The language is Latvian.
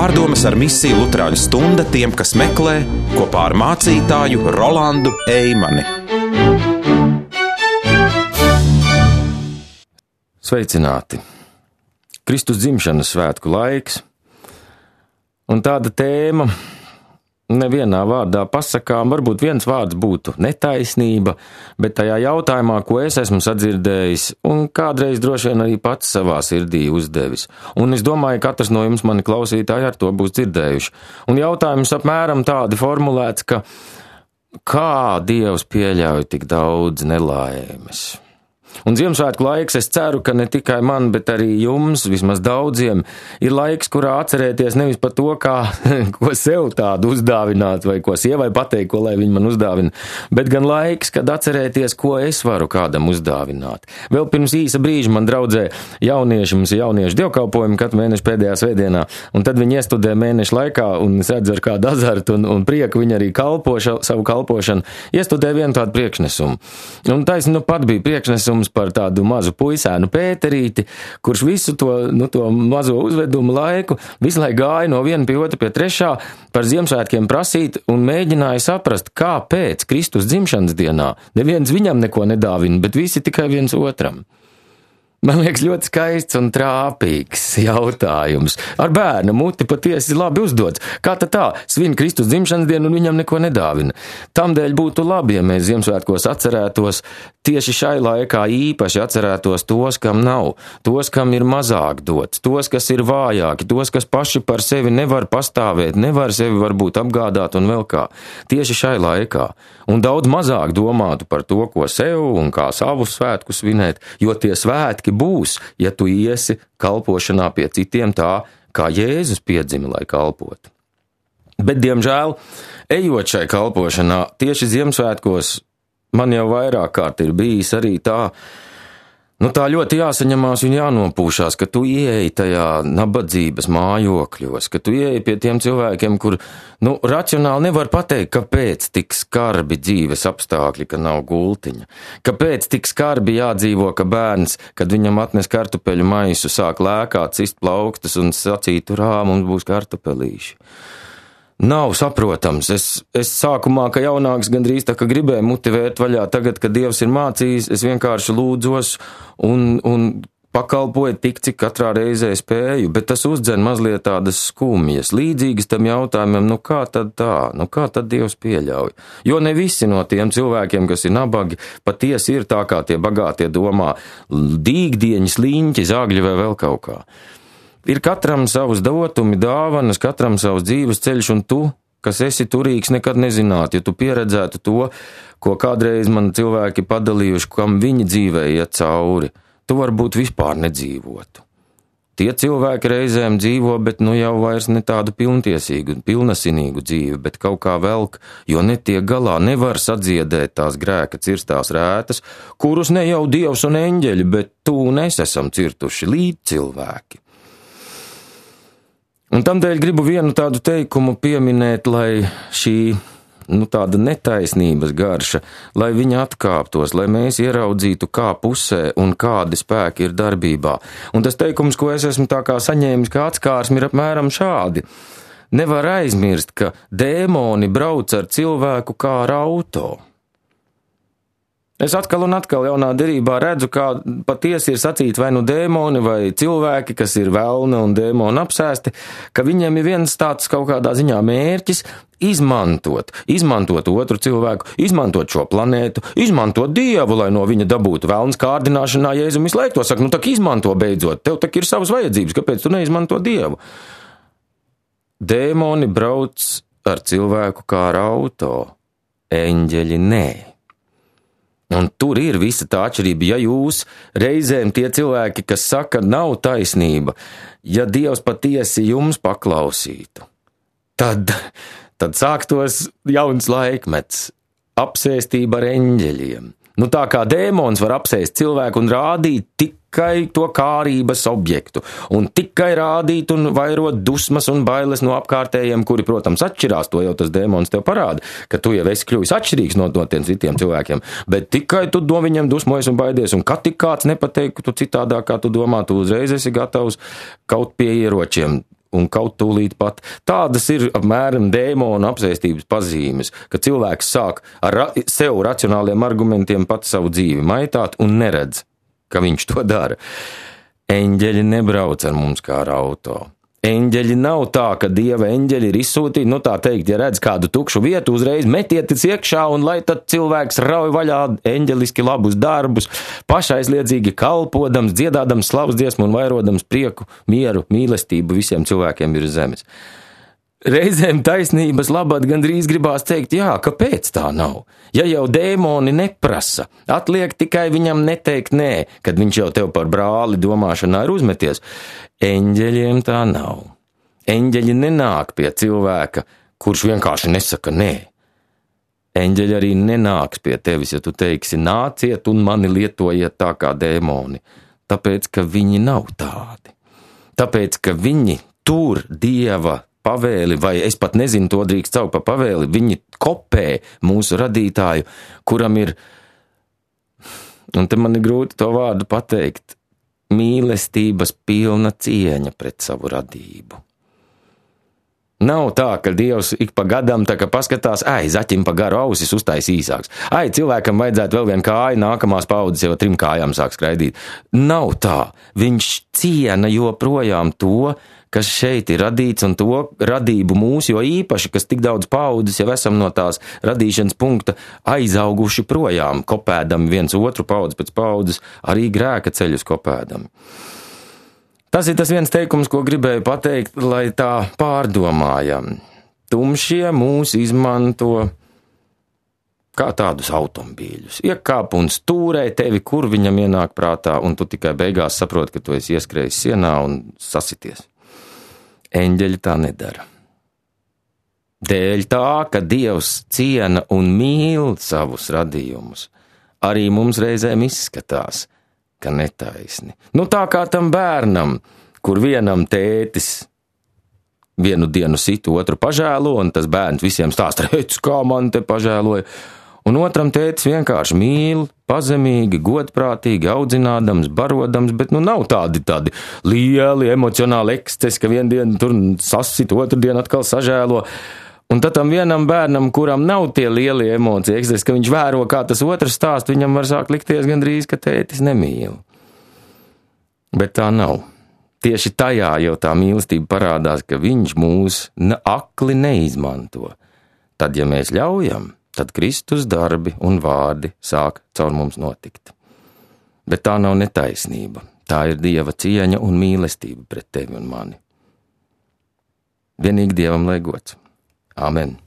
Pārdomas ar misiju Luterāņu stunda tiem, kas meklē, kopā ar mācītāju Rolandu Eimani. Sveicināti! Kristus dzimšanas svētku laiks, un tāda tēma nevienā vārdā pasakām, varbūt viens vārds būtu netaisnība, bet tajā jautājumā, ko es esmu sadzirdējis un kādreiz droši vien arī pats savā sirdī uzdevis. Un es domāju, katrs no jums mani klausītāji ar to būs dzirdējuši. Un jautājums apmēram tādi formulēts, ka kā Dievs pieļauj tik daudz nelaimes? Un Ziemassvētku laiks, es ceru, ka ne tikai man, bet arī jums, vismaz daudziem, ir laiks, kurā atcerēties nevis par to, ko sev tādu uzdāvināt, vai ko sievai pateikt, ko lai viņi man uzdāvina, bet gan laiks, kad atcerēties, ko es varu kādam uzdāvināt. Vēl pirms īsa brīža man draudzē mums ir jauniešu dievkalpojumi katru mēnešu pēdējā svētdienā, un tad viņi iestudē mēnešu laikā, un es redzu ar kādu azartu un prieku viņi arī savu kalpošanu, iestudē vienu tādu priekšnesumu. Un taisni pat bija priekšnesums par tādu mazu puisēnu Pēterīti, kurš visu to mazo uzvedumu laiku visu laiku gāja no viena pie otra pie trešā par Ziemassvētkiem prasīt un mēģināja saprast, kāpēc Kristus dzimšanas dienā neviens viņam neko nedāvina, bet visi tikai viens otram. Man liekas ļoti skaists un trāpīgs jautājums. Ar bērnu muti patiesi labi uzdots. Kā tad tā? Svin Kristus dzimšanas dienu un viņam neko nedāvina. Tamdēļ būtu labi, ja mēs Ziemassvētkos atcerētos, tieši šai laikā īpaši atcerētos tos, kam nav, tos, kam ir mazāk dots, tos, kas ir vājāki, tos, kas paši par sevi nevar pastāvēt, nevar sevi varbūt apgādāt un vēl kā. Tieši šai laikā. Un daudz mazāk domātu par to, ko sev un kā savus svētkus svinēt, jo tie svētki būs, ja tu iesi kalpošanā pie citiem tā, kā Jēzus piedzima, lai kalpotu. Bet, diemžēl, ejot šai kalpošanā, tieši Ziemassvētkos man jau vairāk kārt ir bijis arī tā ļoti jāsaņemās un jānopūšās, ka tu ieeji tajā nabadzības mājokļos, ka tu ieeji pie tiem cilvēkiem, kur, racionāli nevar pateikt, kāpēc tik skarbi dzīves apstākļi, ka nav gultiņa, kāpēc tik skarbi jādzīvo, ka bērns, kad viņam atnes kartupeļu maisu, sāk lēkāt, cist plaukstas un sacīt, urā, mums būs kartupelīši. Nav saprotams. Es sākumā, ka jaunāks gandrīz tā, ka gribēju muti vērt vaļā, tagad, kad Dievs ir mācījis, es vienkārši lūdzos un pakalpoju tik, cik katrā reizē spēju, bet tas uzdzen mazliet tādas skumjas, līdzīgas tam jautājumam, kā tad tā, kā tad Dievs pieļauj? Jo ne visi no tiem cilvēkiem, kas ir nabagi, patiesi ir tā, kā tie bagātie domā, dīgdieņi, sliņķi, zagļi vai vēl kaut kā. Ir katram savus dotumi, dāvanas, katram savs dzīves ceļš, un tu, kas esi turīgs, nekad nezinātu, ja tu pieredzētu to, ko kādreiz man cilvēki padalījuši, kam viņi dzīvē iet cauri, tu varbūt vispār nedzīvotu. Tie cilvēki reizēm dzīvo, bet jau vairs ne tādu pilntiesīgu un pilnasinīgu dzīvi, bet kaut kā velk, jo netiek galā, nevar sadziedēt tās grēka cirstās rētas, kurus ne jau Dievs un eņģeļi, bet tu un es esam cirtuši līdz cilvēki. Un tamdēļ gribu vienu tādu teikumu pieminēt, lai šī tāda netaisnības garša, lai viņa atkāptos, lai mēs ieraudzītu, kā pusē un kādi spēki ir darbībā. Un tas teikums, ko es esmu tā kā saņēmis kā atskārsmi, ir apmēram šādi. Nevar aizmirst, ka dēmoni brauc ar cilvēku kā ar auto. Es atkal un atkal jaunā derībā redzu, kā patiesi ir sacīti vai dēmoni vai cilvēki, kas ir velna un dēmoni apsēsti, ka viņiem ir viens tāds kaut kādā ziņā mērķis izmantot otru cilvēku, izmantot šo planētu, izmantot Dievu, lai no viņa dabūtu velns kārdināšanā. Jēzus visu laiku to saka, tak izmanto beidzot, tev tak ir savas vajadzības, kāpēc tu neizmanto Dievu? Dēmoni brauc ar cilvēku kā ar auto, eņģeļi nē. Un tur ir visa tā atšķirība, ja jūs reizēm tie cilvēki, kas saka, nav taisnība, ja Dievs patiesi jums paklausītu, tad sāktos jauns laikmets, apsēstība ar eņģeļiem. Tā kā dēmons var apsēst cilvēku un rādīt tikai to kārības objektu, un tikai rādīt un vairot dusmas un bailes no apkārtējiem, kuri, protams, atšķirās, to jau tas dēmons tev parāda, ka tu jau esi kļuvis atšķirīgs no tiem citiem cilvēkiem, bet tikai tu no viņiem dusmojies un baidies, un kad tik kāds nepateikt, ka tu citādāk, kā tu domā, tu uzreiz esi gatavs kaut pie ieročiem. un kaut tūlīt pat. Tādas ir apmēram dēmona apsēstības pazīmes, ka cilvēks sāk ar sev racionāliem argumentiem pat savu dzīvi maitāt un neredz, ka viņš to dara. Eņģeļi nebrauc ar mums kā ar auto. Eņģeļi nav tā, ka Dieva eņģeļi ir izsūtīti, tā teikt, ja redz kādu tukšu vietu, uzreiz metieties iekšā un lai tad cilvēks rauj vaļā eņģeliski labus darbus, pašaizliedzīgi kalpodams, dziedādams slavas dziesmu un vairodams prieku, mieru, mīlestību visiem cilvēkiem ir zemes. Reizēm taisnības labad gandrīz gribās teikt, jā, kāpēc tā nav? Ja jau dēmoni neprasa, atliek tikai viņam neteikt nē, kad viņš jau tev par brāli domāšanā ir uzmeties. Eņģeļiem tā nav. Eņģeļi nenāk pie cilvēka, kurš vienkārši nesaka nē. Eņģeļi arī nenāks pie tevis, ja tu teiksi nāciet un mani lietojiet tā kā dēmoni, tāpēc, ka viņi nav tādi. Tāpēc, ka viņi tur Dieva pavēli, vai es pat nezinu, to drīkst saukt par pavēli, viņi kopē mūsu radītāju, kuram ir, un te man ir grūti to vārdu pateikt, mīlestības pilna cieņa pret savu radību. Nav tā, ka Dievs ik pa gadam tā kā paskatās, zaķim pa garu ausis uztais īsāks. Cilvēkam vajadzētu vēl vienu kāju, nākamās paudzes jau 3 kājām sāk skraidīt. Nav tā. Viņš ciena joprojām to, kas šeit ir radīts un to radību mūsu, jo īpaši, kas tik daudz paudzes jau esam no tās radīšanas punkta aizauguši projām, kopēdami viens otru paudzi pēc paudzes, arī grēka ceļus kopēdami. Tas ir tas viens teikums, ko gribēju pateikt, lai tā pārdomājam. Tumšie mūs izmanto kā tādus automobīļus. Iekāp un stūrē tevi, kur viņam ienāk prātā, un tu tikai beigās saproti, ka tu esi ieskrējis sienā un sasities. Eņģeļi tā nedara. Dēļ tā, ka Dievs ciena un mīl savus radījumus, arī mums reizēm izskatās, ka netaisni. Tā kā tam bērnam, kur vienam tētis vienu dienu sit, otru pažēlo, un tas bērns visiem stāsta, redz, kā man te pažēloja. Un otram tētis vienkārši mīl, pazemīgi, godprātīgi, audzinādams, barodams, bet nav tādi lieli emocionāli ekscesi, ka vienu dienu tur sasit, otru dienu atkal sažēlo. Un tad tam vienam bērnam, kuram nav tie lielie emociju ekscesi, ka viņš vēro, kā tas otrs stāst, viņam var sākt likties gandrīz, ka tētis nemīl. Bet tā nav. Tieši tajā jau tā mīlestība parādās, ka viņš mūs akli neizmanto. Tad, ja mēs ļaujam, tad Kristus darbi un vārdi sāk caur mums notikt. Bet tā nav netaisnība. Tā ir Dieva cieņa un mīlestība pret tevi un mani. Vienīgi Dievam lai gods. Āmen.